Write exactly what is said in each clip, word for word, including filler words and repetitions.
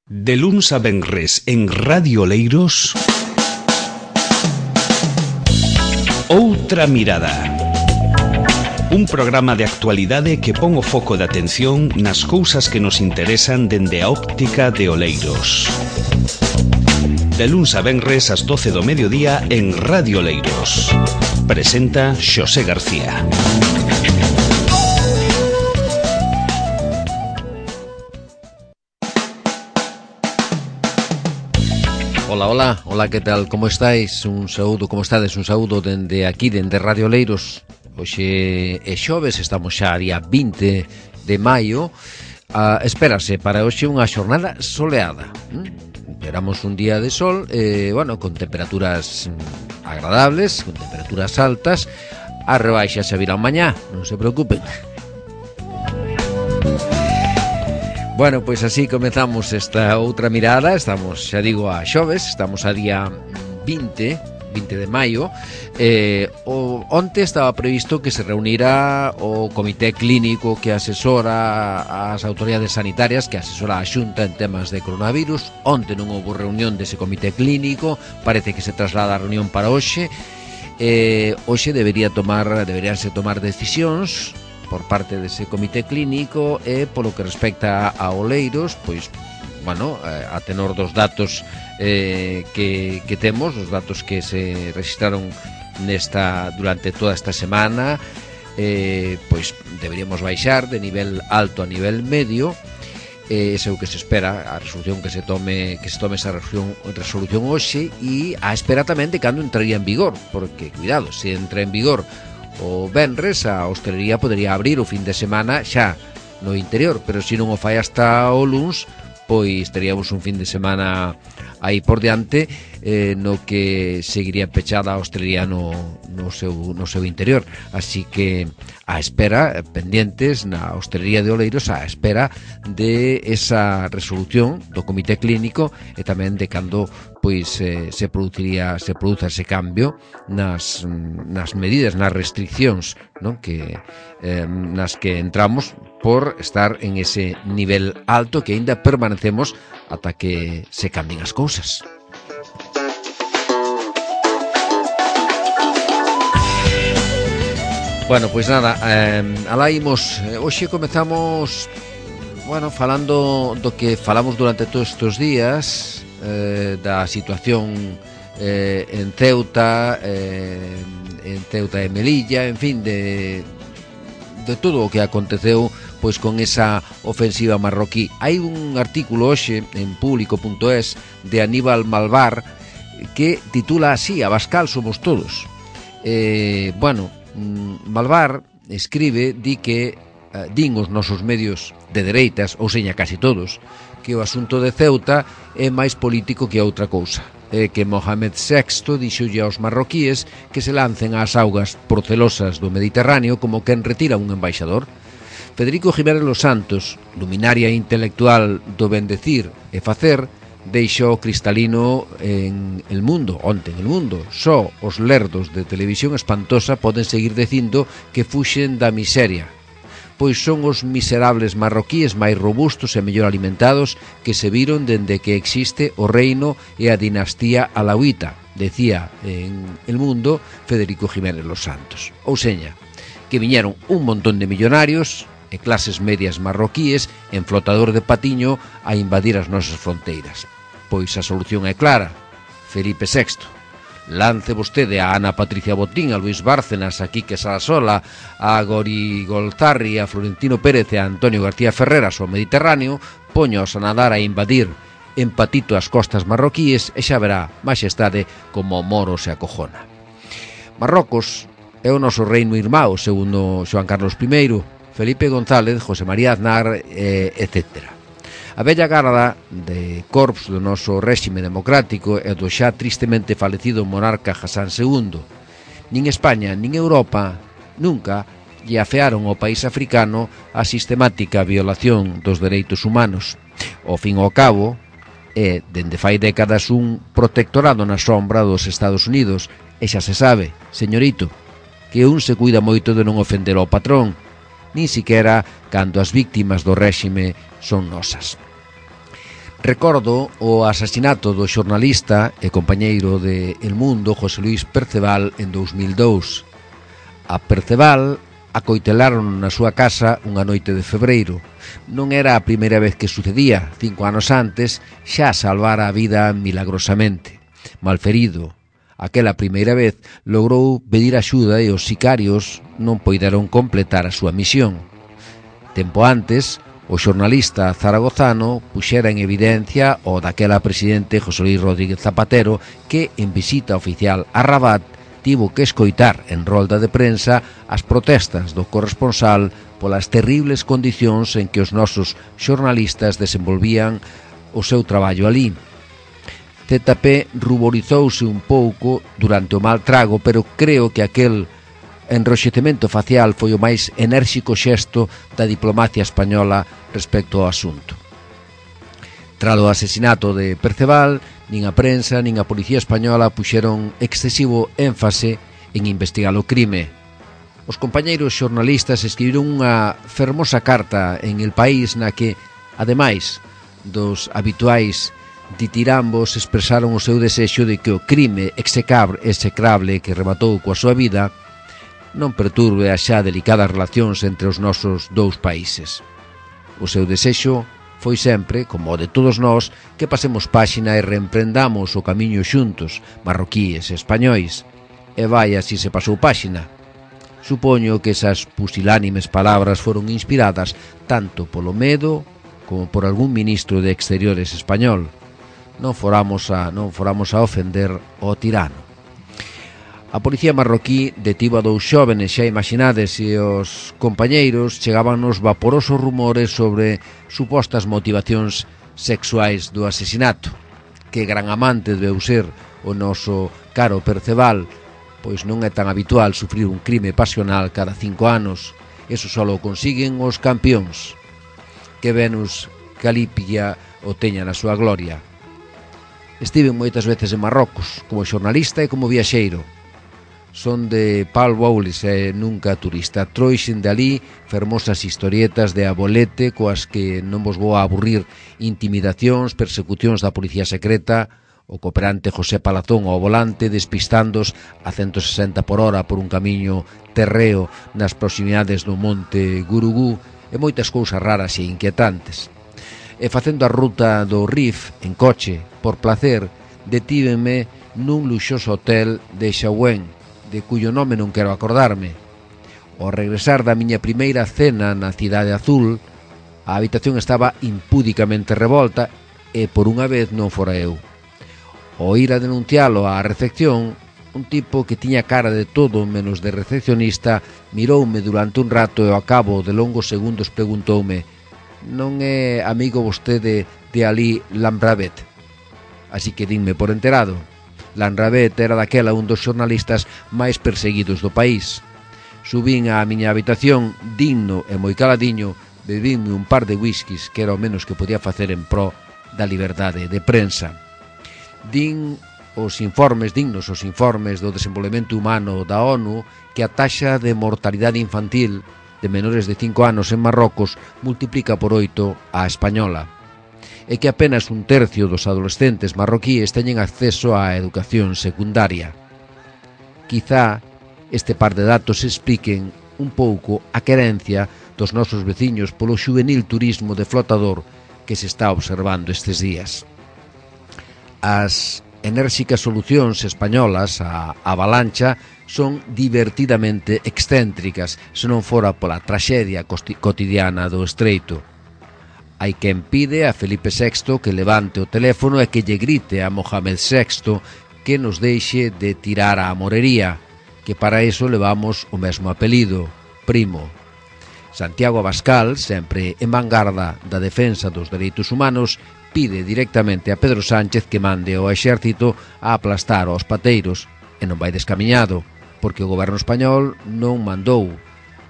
De luns a venres en Radio Oleiros, Outra Mirada. Un programa de actualidade que pon o foco de atención nas cousas que nos interesan dende a óptica de Oleiros. De luns a venres ás doce do mediodía en Radio Oleiros. Presenta Xosé García. Hola, hola, hola, que tal, como estáis? Un saúdo, como estades? Un saúdo dende aquí, dende Radio Oleiros. Hoxe é xoves, estamos xa a día vinte de maio. ah, Espérase para hoxe unha xornada soleada. ¿Mm? Esperamos un día de sol, eh, bueno, con temperaturas agradables, con temperaturas altas. A rebaixa se virán mañá, non se preocupen. Bueno, pois así comezamos esta outra mirada. Estamos, xa digo, a xoves, estamos a día vinte de maio. eh, o, Onte estaba previsto que se reunira o comité clínico que asesora as autoridades sanitarias, que asesora a Xunta en temas de coronavirus. Onte non houve reunión dese comité clínico, parece que se traslada a reunión para hoxe. eh, Hoxe debería tomar, deberíanse tomar decisións por parte dese comité clínico, e polo que respecta a Oleiros, pois, bueno, a tenor dos datos eh, que, que temos, os datos que se registraron nesta durante toda esta semana, eh, pois deberíamos baixar de nivel alto a nivel medio. Eh, ese é o que se espera, a resolución que se tome que se tome esa resolución, resolución hoxe, e a espera tamén de cando entraría en vigor, porque, cuidado, se entra en vigor o venres, a hostelería podería abrir o fin de semana xa no interior, pero se non o fai hasta o luns, pois teríamos un fin de semana aí por diante, eh, no que seguiría pechada a hostelería no, no, seu, no seu interior. Así que a espera, pendientes na hostelería de Oleiros, a espera de esa resolución do comité clínico, e tamén de cando pois eh, se produciría se produza ese cambio nas nas medidas, nas restriccións, non, que eh, nas que entramos por estar en ese nivel alto que aínda permanecemos ata que se cambien as cousas. Bueno, pois nada, eh, alá imos. Hoxe comezamos, bueno, falando do que falamos durante todos estes días, eh, da situación eh, en Ceuta, eh, en Ceuta e Melilla, en fin, de, de todo o que aconteceu pois con esa ofensiva marroquí. Hai un artículo hoxe en público punto es de Aníbal Malvar que titula así: Abascal somos todos. Eh, bueno, Malvar escribe, di que eh, din os nosos medios de dereitas, ou seña casi todos, que o asunto de Ceuta é máis político que outra cousa, e que Mohamed sexto dixolle aos marroquíes que se lancen ás augas porcelosas do Mediterráneo como quen retira un embaixador. Federico Jiménez Los Santos, luminaria intelectual do bendecir e facer, deixou cristalino en El Mundo, onte en El Mundo: só os lerdos de televisión espantosa poden seguir dicindo que fuxen da miseria, pois son os miserables marroquíes máis robustos e mellor alimentados que se viron dende que existe o reino e a dinastía alauita, decía en El Mundo Federico Jiménez Los Santos. Ou seña, que viñeron un montón de millonarios e clases medias marroquíes en flotador de patiño a invadir as nosas fronteiras. Pois a solución é clara: Felipe sexto. Lance vostede a Ana Patricia Botín, a Luis Bárcenas, a Quique Sarasola, a Gori Golzarri, a Florentino Pérez e a Antonio García Ferreras ao Mediterráneo, poños a nadar a invadir en patito as costas marroquíes, e xa verá, maxestade, como o moro se acojona. Marrocos é o noso reino irmão, segundo Xoán Carlos primeiro, Felipe González, José María Aznar, eh, etcétera. A bella garda de corps do noso réxime democrático e do xa tristemente falecido monarca Hassan segundo. Nin España nin Europa nunca lle afearon ao país africano a sistemática violación dos dereitos humanos. Ao fin e ao cabo, é, dende fai décadas, un protectorado na sombra dos Estados Unidos, e xa se sabe, señorito, que un se cuida moito de non ofender ao patrón, nin siquera cando as víctimas do réxime son nosas. Recordo o asasinato do xornalista e compañeiro de El Mundo, José Luis Perceval, en dous mil dous. A Perceval acoitelaron na súa casa unha noite de febreiro. Non era a primeira vez que sucedía. Cinco anos antes xa salvara a vida milagrosamente. Malferido, aquela primeira vez logrou pedir axuda e os sicarios non poideron completar a súa misión. Tempo antes, o xornalista zaragozano puxera en evidencia o daquela presidente José Luis Rodríguez Zapatero, que en visita oficial a Rabat tivo que escoitar en rolda de prensa as protestas do corresponsal polas terribles condicións en que os nosos xornalistas desenvolvían o seu traballo ali. Z P ruborizouse un pouco durante o mal trago, pero creo que aquel enroxecemento facial foi o máis enérxico xesto da diplomacia española respecto ao asunto. Tralo asesinato de Perceval, nin a prensa nin a policía española puxeron excesivo énfase en investigar o crime. Os compañeiros xornalistas escribiron unha fermosa carta en El País na que, ademais dos habituais ditirambos, expresaron o seu desexo de que o crime execrable que rematou coa súa vida non perturbe as xa delicadas relacións entre os nosos dous países. O seu desexo foi sempre, como o de todos nós, que pasemos páxina e reemprendamos o camiño xuntos, marroquíes e españois. E vai así se pasou páxina. Supoño que esas pusilánimes palabras foron inspiradas tanto polo medo como por algún ministro de Exteriores español. Non foramos a, non foramos a ofender ao tirano. A policía marroquí detivo a dous xóvenes, xa imaginades, e os compañeiros chegaban nos vaporosos rumores sobre supostas motivacións sexuais do asesinato. Que gran amante debeu ser o noso caro Perceval, pois non é tan habitual sufrir un crime pasional cada cinco anos. Eso só o consiguen os campións. Que Venus Calipia o teña na súa gloria. Estive moitas veces en Marrocos, como xornalista e como viaxeiro. Son de Pal Boulis e nunca turista. Trouxen de ali fermosas historietas de abolete coas que non vos vou a aburrir. Intimidacións, persecucións da policía secreta, o cooperante José Palazón ao volante despistándos a ciento sesenta por hora por un camiño terreo nas proximidades do monte Gurugú e moitas cousas raras e inquietantes. E facendo a ruta do Rif en coche, por placer, detívenme nun luxoso hotel de Xauen, de cuyo nome non quero acordarme. Ao regresar da miña primeira cena na Cidade Azul, a habitación estaba impúdicamente revolta e por unha vez non fora eu. Ao ir a denuncialo á recepción, un tipo que tiña cara de todo menos de recepcionista miroume durante un rato e ao cabo de longos segundos preguntoume: non é amigo vostede de Ali Lambravet? Así que dinme por enterado. Lambravet era daquela un dos xornalistas máis perseguidos do país. Subín á miña habitación, digno e moi caladiño, bebínme un par de whiskies, que era o menos que podía facer en pro da liberdade de prensa. Din os informes, dignos os informes do desenvolvemento humano da ONU, que a taxa de mortalidade infantil de menores de cinco anos en Marrocos multiplica por oito a española, e que apenas un tercio dos adolescentes marroquíes teñen acceso á educación secundaria. Quizá este par de datos expliquen un pouco a querencia dos nosos veciños polo xuvenil turismo de flotador que se está observando estes días. As enérxicas solucións españolas á avalancha son divertidamente excéntricas, se non fora pola traxedia cotidiana do Estreito. Hai quen pide a Felipe sexto que levante o teléfono e que lle grite a Mohamed sexto que nos deixe de tirar a amorería, que para iso levamos o mesmo apelido, Primo. Santiago Abascal, sempre en vanguarda da defensa dos dereitos humanos, pide directamente a Pedro Sánchez que mande ao exército a aplastar aos pateiros, e non vai descamiñado, porque o goberno español non mandou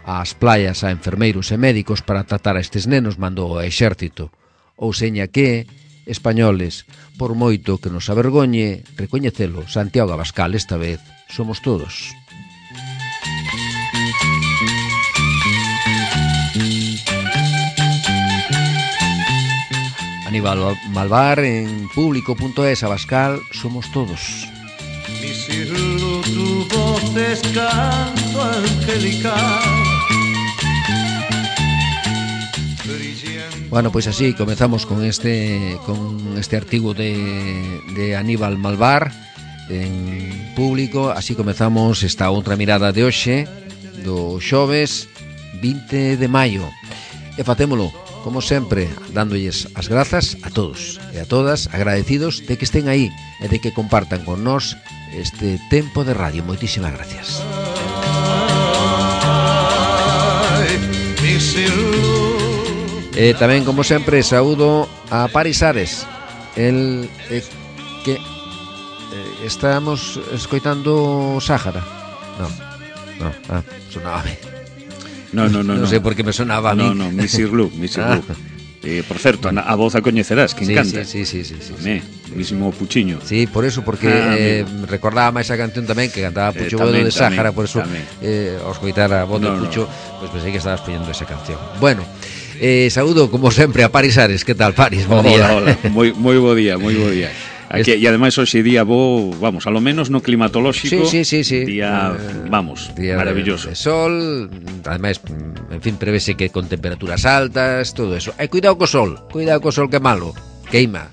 ás playas a enfermeiros e médicos para tratar a estes nenos, mandou ao exército. Ou seña que, españoles, por moito que nos avergoñe recoñecelo, Santiago Abascal esta vez somos todos. A Aníbal Malvar en público punto es, Abascal, somos todos. Mi cielo, tu voz es canto angelical. Bueno, pois pues así comezamos con este con este artigo de, de Aníbal Malvar en público. Así comezamos esta outra mirada de hoxe do xoves vinte de maio. E facémolo, como sempre, dándolles as grazas a todos e a todas, agradecidos de que estén aí e de que compartan con nós este tempo de radio. Moitísimas gracias. E tamén, como sempre, saúdo a Paris Ares. El eh, que eh, estamos escoitando Sáhara. No, no, ah, sonaba ben. No, no, no, non no. sei por que me sonaba a mí. No, no, Misir Lu, Misir Lu. Ah. Eh, por certo, a, a voz a coñecerás, que sí, encanta. Sí, sí, sí, sí, sí, Me, sí. mismo Puchiño. Sí, por eso, porque Ah, eh, recordaba máis a canción tamén que cantaba Pucho Eh, Bodo tamén, de Sáhara, tamén, por eso tamén. eh, ao escoitar a voz de No, no. Pucho, pois pues pensei que estabas poñendo esa canción. Bueno, eh, saúdo como sempre a Paris Ares. Que tal, Paris? Bo día. Hola, hola, moi, moi bo día, moi bo día. Aquí, e ademais hoxe día bo, vamos, a lo menos no climatolóxico. Sí, sí, sí, sí. Día, eh, vamos, día maravilloso. De, de sol, ademais, en fin, prevese que con temperaturas altas, todo eso. E cuidado co sol, cuidado co sol que é malo, queima.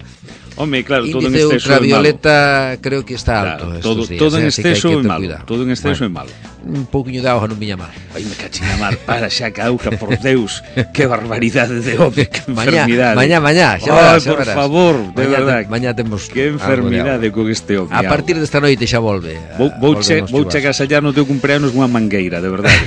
Home, claro, todo en Índice exceso é malo. ultravioleta creo que está alto. Claro, todo, estos días, todo en eh, así que hai exceso que é ter malo. cuidado. Todo en exceso é Bueno, malo. un pouquiño de auga non viña mal. Ai, me cachín a mar, para xa que auga, por Deus, que barbaridade de home, que Mañá, enfermidade. mañá, mañá, xa Ai, verás, xa por verás. favor, de Mañá verdad. te- mañá temos Que algo de enfermidade auga. con este home. A partir desta noite xa volve. a- Vou, vou, che, volven os vou che chuvas. agasallar no teu cumpleanos unha mangueira, de verdade.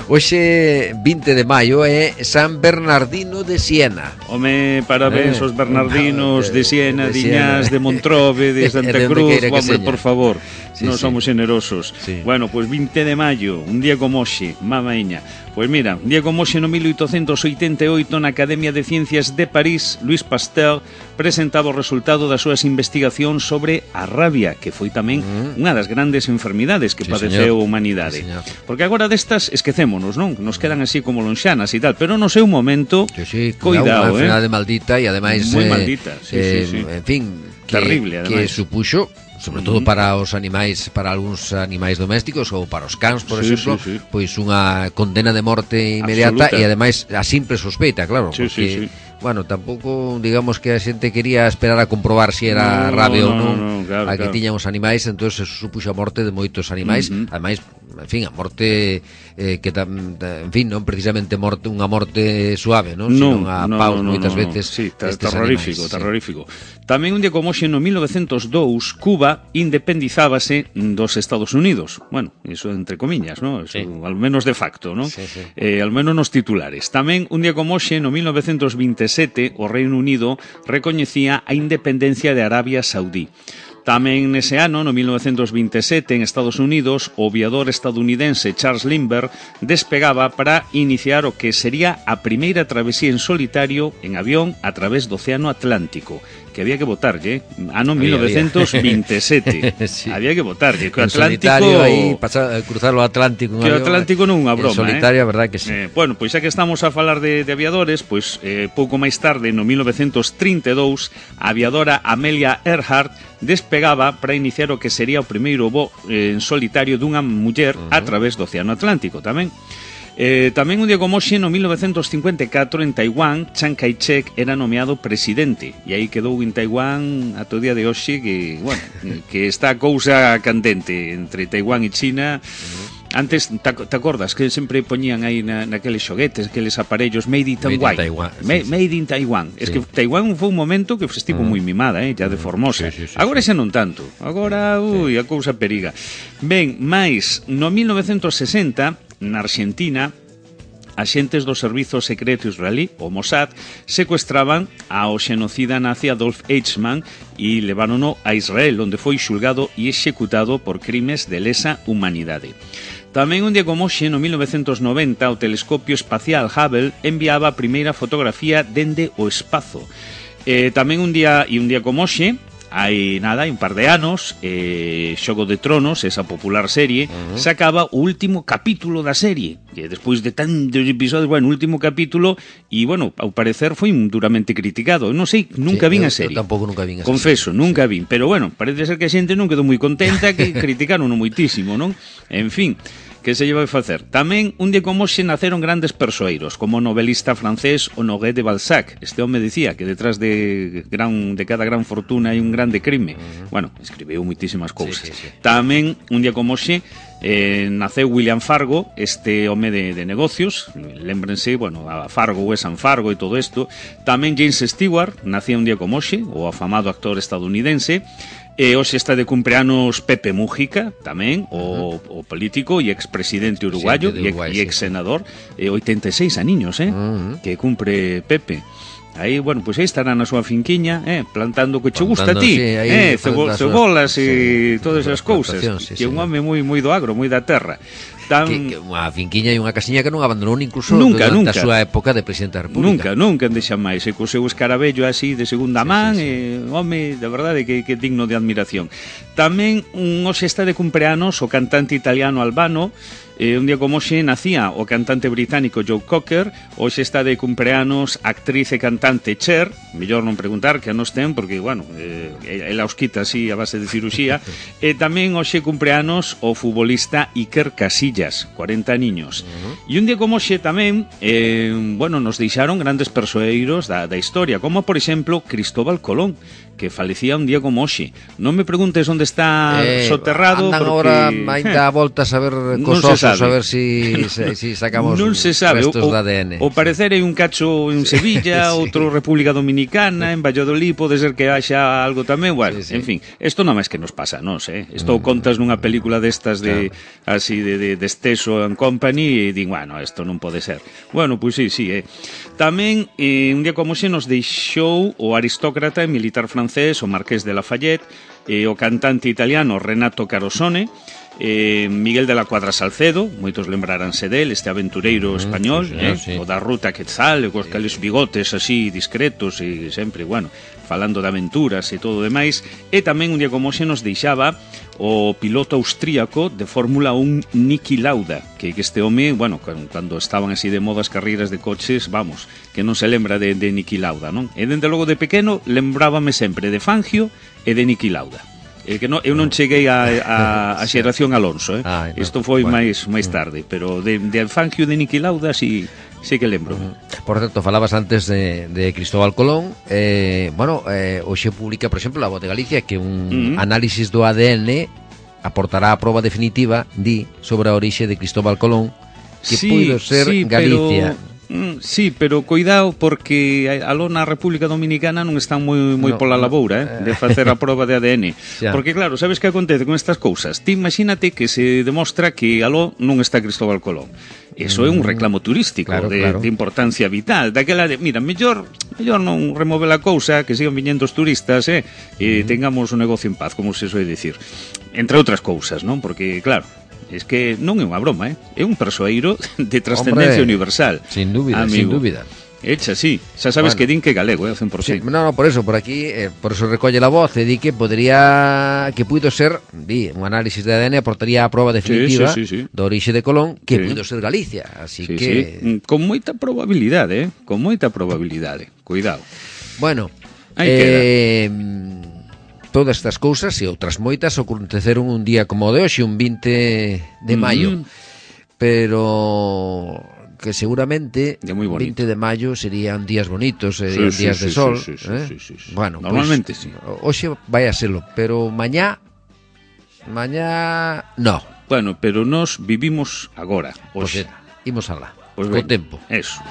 Hoxe vinte de maio é San Bernardino de Siena. Home, parabéns Eh, aos bernardinos de- de Siena, de de Siena. Iñás, de Montrove, de E Santa de onde Cruz, queira que hombre, seña. por favor, Sí, non sí. somos generosos. Sí. Bueno, pois pues vinte de maio, un día como hoxe, mamaiña. Pois mira, un día como hoxe no mil oitocentos oitenta e oito na Academia de Ciencias de París, Louis Pasteur presentaba o resultado das súas investigacións sobre a rabia, que foi tamén Mm. unha das grandes enfermidades que Sí, padeceu señor. a humanidade. Sí, señor. Porque agora destas esquecémonos, non? Nos quedan así como lonxanas e tal, pero no seu momento, Sí, sí, cuidado, unha eh? enfermidade maldita e ademais Moi eh, maldita, sí, eh, sí, sí. en fin, que, Terrible, que ademais. supuxo sobre todo Ujú. para os animais, para algúns animais domésticos ou para os cans, por Sí, exemplo, sí, sí. pois unha condena de morte inmediata Absoluta. e ademais a simple sospeita, claro, Sí, porque sí, sí. bueno, tampouco digamos que a xente quería esperar a comprobar se si era No, rabia no, ou non no, no, claro, a que claro. tiñan os animais, entonces eso supuxo a morte de moitos animais, Ujú. ademais, en fin, a morte eh, que tam, en fin, non precisamente morte unha morte suave, non, Non, sino a no, paus no, no, moitas no, veces sí, ter- estes terrorífico, animais, terrorífico. Tamén un día como hoxe no mil novecentos dous Cuba independizábase dos Estados Unidos. Bueno, iso entre comiñas, ¿no? Eso, Sí. al menos de facto, ¿no? Sí, sí. Eh, al menos nos titulares. Tamén un día como hoxe no mil novecentos veintisiete o Reino Unido recoñecía a independencia de Arabia Saudí. Tamén nese ano, no mil novecentos veintisiete, en Estados Unidos, o aviador estadounidense Charles Lindbergh despegaba para iniciar o que sería a primeira travesía en solitario en avión a través do Océano Atlántico, que había que botarlle, ano Había, mil novecentos veintisiete. Sí. Había que botarlle, que o en Atlántico... solitario aí pasar, cruzar o Atlántico en Que o avión, Atlántico non é unha en broma, solitario, eh? a verdade que sí. Eh, bueno, pois xa que estamos a falar de, de aviadores, pois eh, pouco máis tarde, no mil novecentos trinta e dous, a aviadora Amelia Earhart despegaba para iniciar o que sería o primeiro voo eh, en solitario dunha muller uh -huh. a través do Océano Atlántico tamén. Eh, tamén un día como hoxe, no mil novecentos cincuenta e catro, en Taiwán, Chiang Kai-shek era nomeado presidente, e aí quedou en Taiwán ata o día de hoxe que, bueno, que está a cousa candente entre Taiwán e China. Antes, te, te acordas que sempre poñían aí na, naqueles xoguetes, aqueles aparellos made in Taiwán. Made in Taiwán, sí, Ma- sí. Made in Taiwán. Sí. Es que Taiwán foi un momento que estivo Mm. moi mimada, eh, ya de Formosa. Sí, sí, sí, Agora sí. xa non tanto. Agora, ui, a cousa periga. Ben, máis, no mil novecentos sesenta, na Argentina, axentes do Servizo Secreto Israelí, o Mossad, secuestraban ao xenocida nazi Adolf Eichmann e levárono a Israel, onde foi xulgado e executado por crimes de lesa humanidade. Tamén un día como hoxe, no mil novecentos noventa, o telescopio espacial Hubble enviaba a primeira fotografía dende o espazo. Eh, tamén un día e un día como hoxe, hai nada, hai un par de anos, eh, Xogo de Tronos, esa popular serie, uh-huh. sacaba o último capítulo da serie, que despois de tantos episodios, bueno, o último capítulo, e, bueno, ao parecer foi duramente criticado. Eu non sei, nunca sí, vin eu, a serie. Eu tampouco nunca vin a serie. Confeso, nunca vin, pero, bueno, parece ser que a xente non quedou moi contenta, que criticaron moitísimo, non? En fin, que se lle vai facer? Tamén, un día como hoxe naceron grandes persoeiros, como o novelista francés Honoré de Balzac. Este home dicía que detrás de gran de cada gran fortuna hai un grande crime. Uh-huh. Bueno, escribeu moitísimas cousas. Sí, sí, sí. Tamén, un día como hoxe, eh, naceu William Fargo, este home de, de negocios. Lémbrense, bueno, a Fargo, Wes and Fargo e todo isto. Tamén James Stewart, nacía un día como hoxe, o afamado actor estadounidense. E hoxe está de cumpleanos Pepe Mújica, tamén, o, uh-huh. o político e expresidente uruguayo e sí, ex senador, e oitenta e seis aniños, eh, uh-huh. que cumpre Pepe. Aí, bueno, pois pues aí estará na súa finquiña, eh, plantando que che gusta a ti, sí, eh, cebo, cebolas e sí, todas as cousas, sí, que é un home moi moi do agro, moi da terra. Tan... Que, que unha finquiña e unha casiña que non abandonou incluso nunca, durante nunca. a súa época de presidente da República. Nunca, nunca deixa máis. E co seu escarabello así de segunda sí, man, sí, sí. E, home, de verdade que, que digno de admiración. Tamén un hoxe está de cumpleanos o cantante italiano Albano. Eh, un día como hoxe nacía o cantante británico Joe Cocker. Hoxe está de cumpleanos a actriz e cantante Cher. Mellor non preguntar que anos ten, porque, bueno, eh, ela os quita así a base de ciruxía. E tamén hoxe cumpleanos o futbolista Iker Casillas, cuarenta niños. Uh-huh. E un día como hoxe tamén, eh, bueno, nos deixaron grandes persoeiros da, da historia, como, por exemplo, Cristóbal Colón, que falecía un día como hoxe. Non me preguntes onde está eh, soterrado, andan porque... agora ainda a volta a saber cos osos, a ver si, si sacamos non se sabe. restos o, de A D N. O parecer hai un cacho en Sevilla, sí. outro República Dominicana, en Valladolid, pode ser que haxa algo tamén, bueno, sí, sí. En fin, isto non máis que nos pasa, non sei, isto mm. contas nunha película destas de, claro. así, de, de, de Esteso and Company, e din, bueno, isto non pode ser. Bueno, pois pues sí, sí, eh. Tamén, eh, un día como xe nos deixou o aristócrata e militar francés, o Marqués de Lafayette, eh, o cantante italiano Renato Carosone, eh, Miguel de la Cuadra Salcedo, moitos lembraránse del, este aventureiro español, mm, sí, eh, sí. o da Ruta Quetzal, e cos cales bigotes así discretos e sempre, bueno, falando de aventuras e todo o demais. E tamén un día como xe nos deixaba o piloto austríaco de Fórmula un Niki Lauda, que este home, bueno, cando estaban así de moda as carreiras de coches, vamos, que non se lembra de, de Niki Lauda, non? E dende logo de pequeno lembrábame sempre de Fangio e de Niki Lauda. Eh, que no, eu non cheguei a, a, a xeración Alonso, eh? Ah, no, isto foi bueno. máis máis tarde, pero de, de Fangio e de Niki Lauda sí, sí que lembro. Uh-huh. Por certo, falabas antes de, de Cristóbal Colón, eh, bueno, eh, hoxe publica, por exemplo, La Voz de Galicia, que un uh-huh. análisis do A D N aportará a proba definitiva, di, sobre a orixe de Cristóbal Colón, que sí, puido ser sí, Galicia. Pero... Mm, sí, pero cuidado porque aló na República Dominicana non están moi moi no, pola laboura, eh, de facer a proba de A D N. Xa. Porque claro, sabes que acontece con estas cousas? Ti imagínate que se demostra que aló non está Cristóbal Colón. Eso é un reclamo turístico, claro, de, claro. de importancia vital, daquela de, mira, mellor mellor non remove a cousa, que sigan viñendo os turistas, eh, e uh-huh. tengamos un negocio en paz, como se soe dicir. Entre outras cousas, non? Porque claro, es que non é unha broma, eh? É un persoeiro de trascendencia Hombre, universal. Sin dúbida, amigo. sin dúbida. Echa, sí. Xa sabes bueno. que din que galego, eh, cen por ciento. Sí, no, no, por eso, por aquí, eh, por eso recolle la voz, e di que podría, que puido ser, di, un análisis de A D N aportaría a proba definitiva sí, sí, sí, sí. do orixe de Colón, que sí. puido ser Galicia, así sí, que... Sí. Con moita probabilidade, eh, con moita probabilidade, cuidado. Bueno, aí eh... queda. Todas estas cousas e outras moitas aconteceron un día como o de hoxe, un vinte de maio, mm-hmm. pero que seguramente vinte de maio serían días bonitos, serían sí, días sí, de sí, sol. Sí, sí, eh? sí, sí, sí. Bueno, normalmente pues, sí. Hoxe vai a serlo, pero mañá, mañá no. Bueno, pero nos vivimos agora. Pois pues, imos alá, pues co tempo. Eso.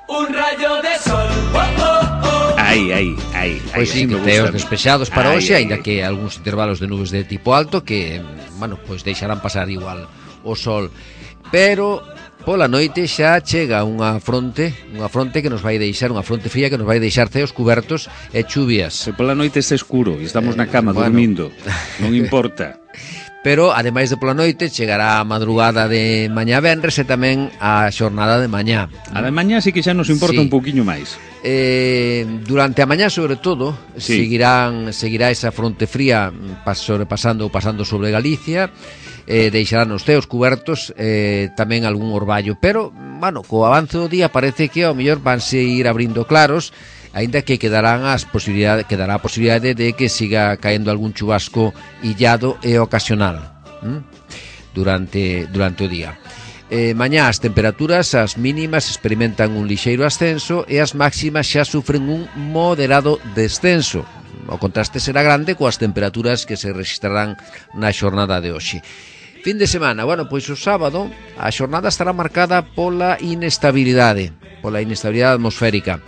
Un rayo de sol. Oh, oh, oh. Aí, aí, aí. Pois sí, teos despexados para hoxe, aínda que algúns intervalos de nubes de tipo alto que, bueno, pois deixarán pasar igual o sol. Pero pola noite xa chega unha fronte, unha fronte que nos vai deixar, unha fronte fría que nos vai deixar ceos cubertos e chuvias. Se pola noite está escuro e estamos na cama eh, bueno. dormindo, non importa. pero ademais de pola noite chegará a madrugada de mañá venres e tamén a xornada de mañá. A de mañá sí que xa nos importa Sí. un pouquiño máis. Eh, durante a mañá, sobre todo, Sí. seguirán seguirá esa fronte fría pas, sobrepasando ou pasando sobre Galicia. Eh, deixarán os ceos cubertos, eh, tamén algún orballo, pero, bueno, co avance do día parece que ao mellor vanse ir abrindo claros, aínda que quedarán as posibilidades, quedará a posibilidade de que siga caendo algún chubasco illado e ocasional ¿m? durante durante o día. Eh, mañá as temperaturas, as mínimas experimentan un lixeiro ascenso e as máximas xa sufren un moderado descenso. O contraste será grande coas temperaturas que se registrarán na xornada de hoxe. Fin de semana, bueno, pois o sábado a xornada estará marcada pola inestabilidade, pola inestabilidade atmosférica.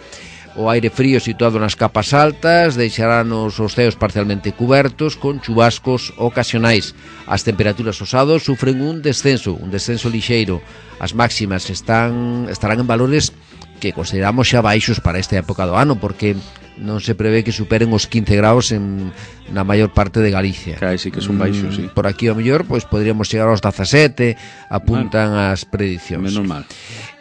O aire frío situado nas capas altas deixarán os, os ceos parcialmente cubertos con chubascos ocasionais. As temperaturas os sábados sufren un descenso, un descenso lixeiro. As máximas están estarán en valores que consideramos xa baixos para esta época do ano, porque non se prevé que superen os quince graus en, na maior parte de Galicia. Cae, sí que son baixos, sí. Por aquí ao mellor pois podríamos chegar aos dezasete, apuntan as predicións. Menos mal.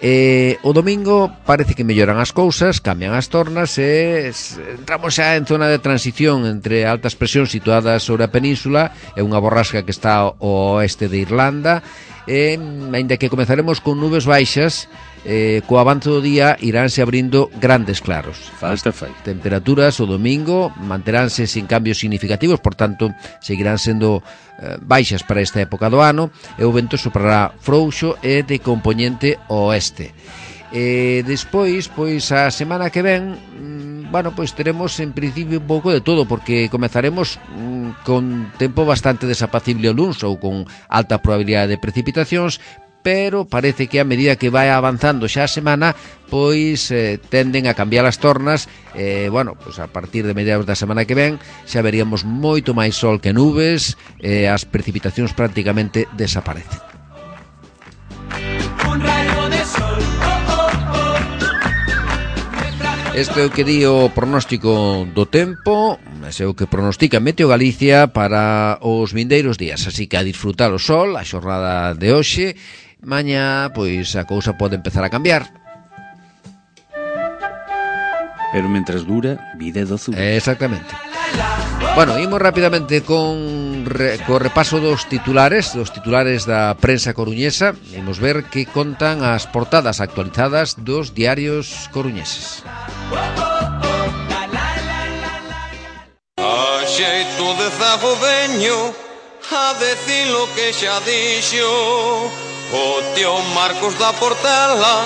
Eh, o domingo parece que melloran as cousas, cambian as tornas e entramos xa en zona de transición entre altas presións situadas sobre a península e unha borrasca que está ao oeste de Irlanda, e aínda que comezaremos con nubes baixas, eh, co avance do día iránse abrindo grandes claros. Falta fai. Temperaturas o domingo manteránse sin cambios significativos, por tanto seguirán sendo eh, baixas para esta época do ano, e o vento soprará frouxo e de compoñente oeste. E despois, pois a semana que ven, mm, bueno, pois teremos en principio un pouco de todo, porque comezaremos mm, con tempo bastante desapacible o luns ou con alta probabilidade de precipitacións, pero parece que a medida que vai avanzando xa a semana, pois eh, tenden a cambiar as tornas, e, eh, bueno, pois a partir de mediados da semana que ven xa veríamos moito máis sol que nubes, e eh, as precipitacións prácticamente desaparecen. Un rayo de sol, oh, oh, oh. Este é o que di o pronóstico do tempo, ese é o que pronostica Meteo Galicia para os vindeiros días, así que a disfrutar o sol, a xornada de hoxe. Mañá, pois, a cousa pode empezar a cambiar. Pero mentras dura, vida é doce. Exactamente. Bueno, imos rapidamente con re, co repaso dos titulares, dos titulares da prensa coruñesa. Imos ver que contan as portadas actualizadas dos diarios coruñeses. A xeito de zago veño a decir lo que xa dixo o tío Marcos da Portela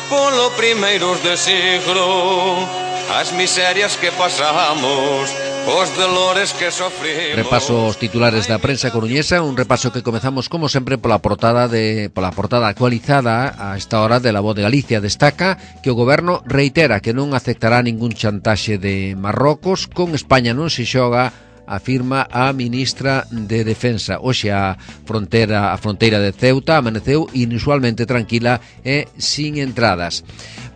polo primeiros de siglo, as miserias que pasamos, os dolores que sofrimos. Repaso os titulares da prensa coruñesa, un repaso que comezamos como sempre pola portada de pola portada actualizada a esta hora de La Voz de Galicia. Destaca que o goberno reitera que non aceptará ningún chantaxe de Marrocos, con España non se xoga, afirma a ministra de Defensa. Hoxe a fronteira a fronteira de Ceuta amaneceu inusualmente tranquila e sin entradas.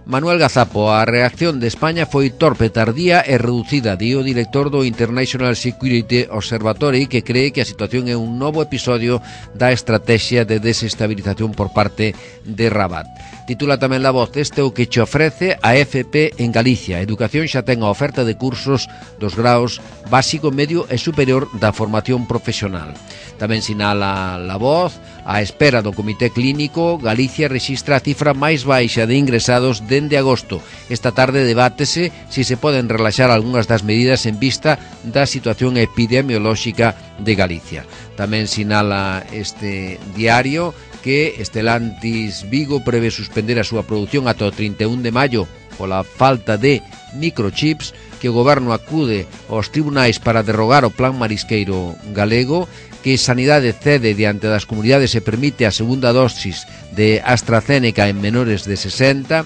Manuel Gazapo, a reacción de España foi torpe, tardía e reducida, di o director do International Security Observatory, que cree que a situación é un novo episodio da estrategia de desestabilización por parte de Rabat. Titula tamén La Voz: este é o que che ofrece a F P en Galicia. A educación xa ten a oferta de cursos dos graos básico, medio e superior da formación profesional. Tamén sinala La Voz: a espera do Comité Clínico, Galicia rexistra a cifra máis baixa de ingresados dende agosto. Esta tarde debátese se si se poden relaxar algunhas das medidas en vista da situación epidemiolóxica de Galicia. Tamén sinala este diario que Estelantis Vigo prevé suspender a súa produción ata o trinta e un de maio pola falta de microchips, que o goberno acude aos tribunais para derrogar o plan marisqueiro galego, que Sanidade cede diante das comunidades e permite a segunda dosis de AstraZeneca en menores de sesenta.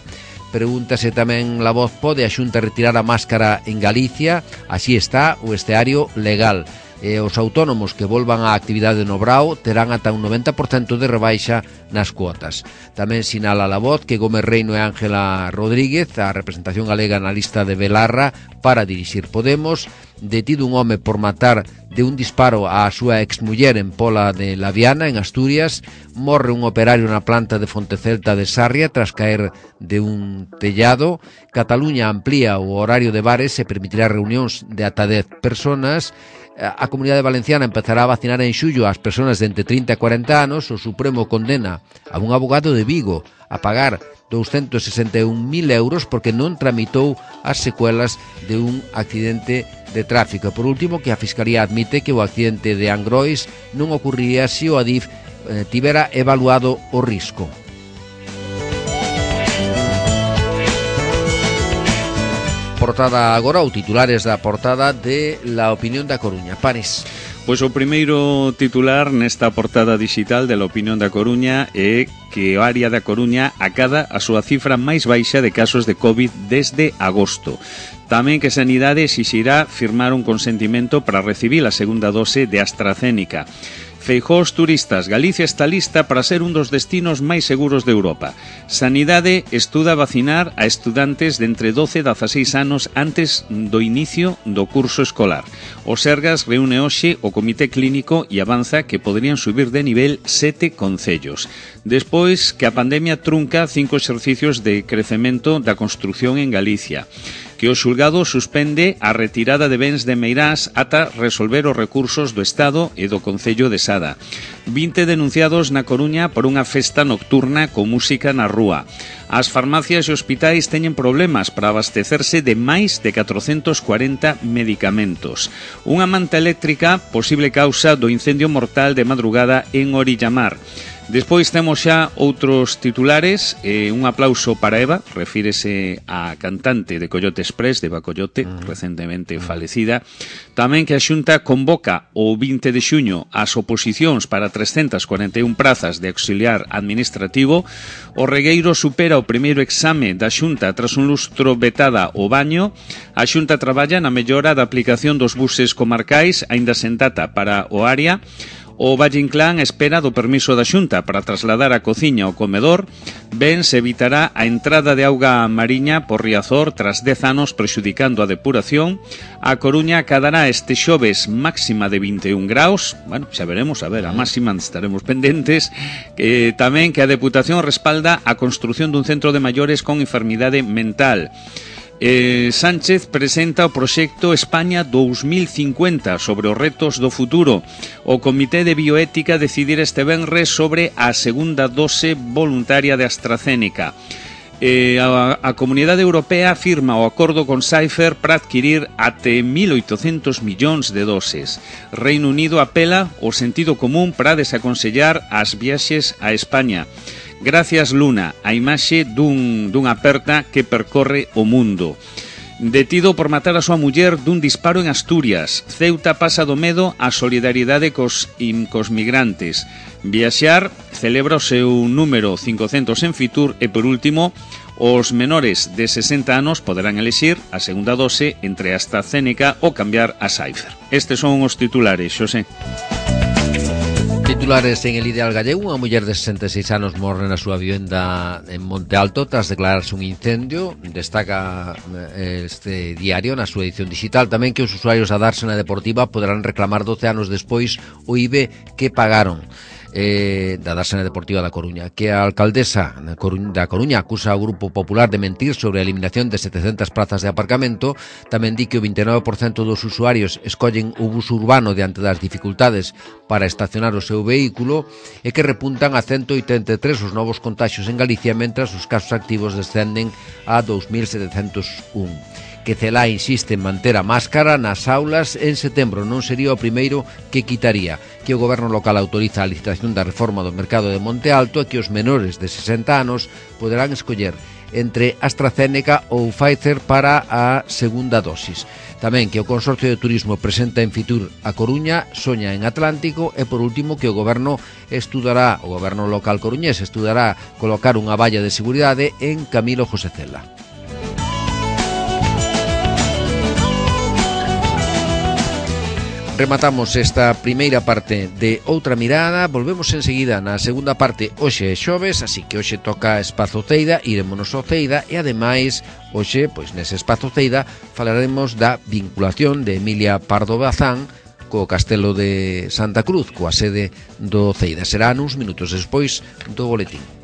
Pregúntase tamén La Voz: pode a Xunta retirar a máscara en Galicia? Así está o esteario legal. E os autónomos que volvan á actividade no Brao terán ata un noventa por cento de rebaixa nas cuotas. Tamén sinala La Voz que Gómez Reino e Ángela Rodríguez, a representación galega na lista de Belarra para dirixir Podemos, detido un home por matar de un disparo á súa exmuller en Pola de Laviana, en Asturias. Morre un operario na planta de Fontecelta de Sarria tras caer de un tellado. Cataluña amplía o horario de bares e permitirá reunións de ata dez personas. A Comunidade Valenciana empezará a vacinar en xullo ás persoas de entre trinta e cuarenta anos. O Supremo condena a un abogado de Vigo a pagar doscientos sesenta e un mil euros porque non tramitou as secuelas de un accidente de tráfico. Por último, que a Fiscalía admite que o accidente de Angrois non ocurriría se o Adif eh, tivera evaluado o risco. Portada agora, ou titulares da portada de La Opinión da Coruña. Pares. Pois o primeiro titular nesta portada digital de La Opinión da Coruña é que o área da Coruña acada a súa cifra máis baixa de casos de COVID desde agosto. Tamén que Sanidade exixirá firmar un consentimento para recibir a segunda dose de AstraZeneca. Feijóo aos turistas, Galicia está lista para ser un dos destinos máis seguros de Europa. Sanidade estuda vacinar a estudantes de entre doce e dezaseis anos antes do inicio do curso escolar. O Sergas reúne hoxe o Comité Clínico e avanza que poderían subir de nivel sete concellos. Despois que a pandemia trunca cinco exercicios de crecemento da construción en Galicia. Que o xulgado suspende a retirada de bens de Meirás ata resolver os recursos do Estado e do Concello de Sada. vinte denunciados na Coruña por unha festa nocturna con música na rúa. As farmacias e hospitais teñen problemas para abastecerse de máis de catrocentos cuarenta medicamentos. Unha manta eléctrica, posible causa do incendio mortal de madrugada en Orillamar. Despois temos xa outros titulares. eh, Un aplauso para Eva, refírese á cantante de Coyote Express, de Bacoyote, mm. recentemente mm. falecida. Tamén que a Xunta convoca o vinte de xuño as oposicións para trescentas cuarenta e un prazas de auxiliar administrativo. O Regueiro supera o primeiro exame da Xunta tras un lustro vetada o baño. A Xunta traballa na mellora da aplicación dos buses comarcais, aínda sen data para o área. O Valle Inclán espera do permiso da Xunta para trasladar a cociña ao comedor. Ben se evitará a entrada de auga mariña por Riazor tras dez anos prexudicando a depuración. A Coruña acadará este xoves máxima de vinte e un graus. Bueno, xa veremos, a ver, a máxima estaremos pendentes. Eh, tamén que a Deputación respalda a construción dun centro de maiores con enfermidade mental. Eh, Sánchez presenta o proxecto España dous mil cincuenta sobre os retos do futuro. O Comité de Bioética decidir este venres sobre a segunda dose voluntaria de AstraZeneca. Eh, a, a Comunidade Europea firma o acordo con Pfizer para adquirir até mil oitocentos millóns de doses. Reino Unido apela ao sentido común para desaconsellar as viaxes a España. Gracias Luna, a imaxe dun, dunha aperta que percorre o mundo. Detido por matar a súa muller dun disparo en Asturias. Ceuta pasa do medo á solidariedade cos, cos migrantes. Viaxar celebra o seu número cincocentos en Fitur e, por último, os menores de sesenta anos poderán elixir a segunda dose entre AstraZeneca ou cambiar a Pfizer. Estes son os titulares, Xosé. Titulares en El Ideal Gallego. Unha muller de sesenta e seis anos morre na súa vivenda en Monte Alto tras declararse un incendio. Destaca este diario na súa edición digital tamén que os usuarios da Dársena Deportiva poderán reclamar doce anos despois o I B E que pagaron. Eh, da Dársena Deportiva da Coruña, que a alcaldesa da Coruña acusa ao Grupo Popular de mentir sobre a eliminación de setecentas plazas de aparcamento. Tamén di que o vinte e nove por cento dos usuarios escollen o bus urbano diante das dificultades para estacionar o seu vehículo e que repuntan a ciento oitenta e tres os novos contaxios en Galicia, mentras os casos activos descenden a dous mil setecentos un. Que Celá insiste en manter a máscara nas aulas en setembro. Non sería o primeiro que quitaría. Que o goberno local autoriza a licitación da reforma do mercado de Monte Alto e que os menores de sesenta anos poderán escoller entre AstraZeneca ou Pfizer para a segunda dosis. Tamén que o Consorcio de Turismo presenta en Fitur a Coruña, soña en Atlántico e, por último, que o goberno estudará, o goberno local coruñés estudará colocar unha valla de seguridade en Camilo José Cela. rematamos esta primeira parte de Outra Mirada. Volvemos enseguida na segunda parte. Hoxe é xoves, así que hoxe toca Espazo Ceida, irémonos ao Ceida e ademais hoxe, pois nese Espazo Ceida falaremos da vinculación de Emilia Pardo Bazán co Castelo de Santa Cruz, coa sede do Ceida. Será nuns minutos despois do boletín.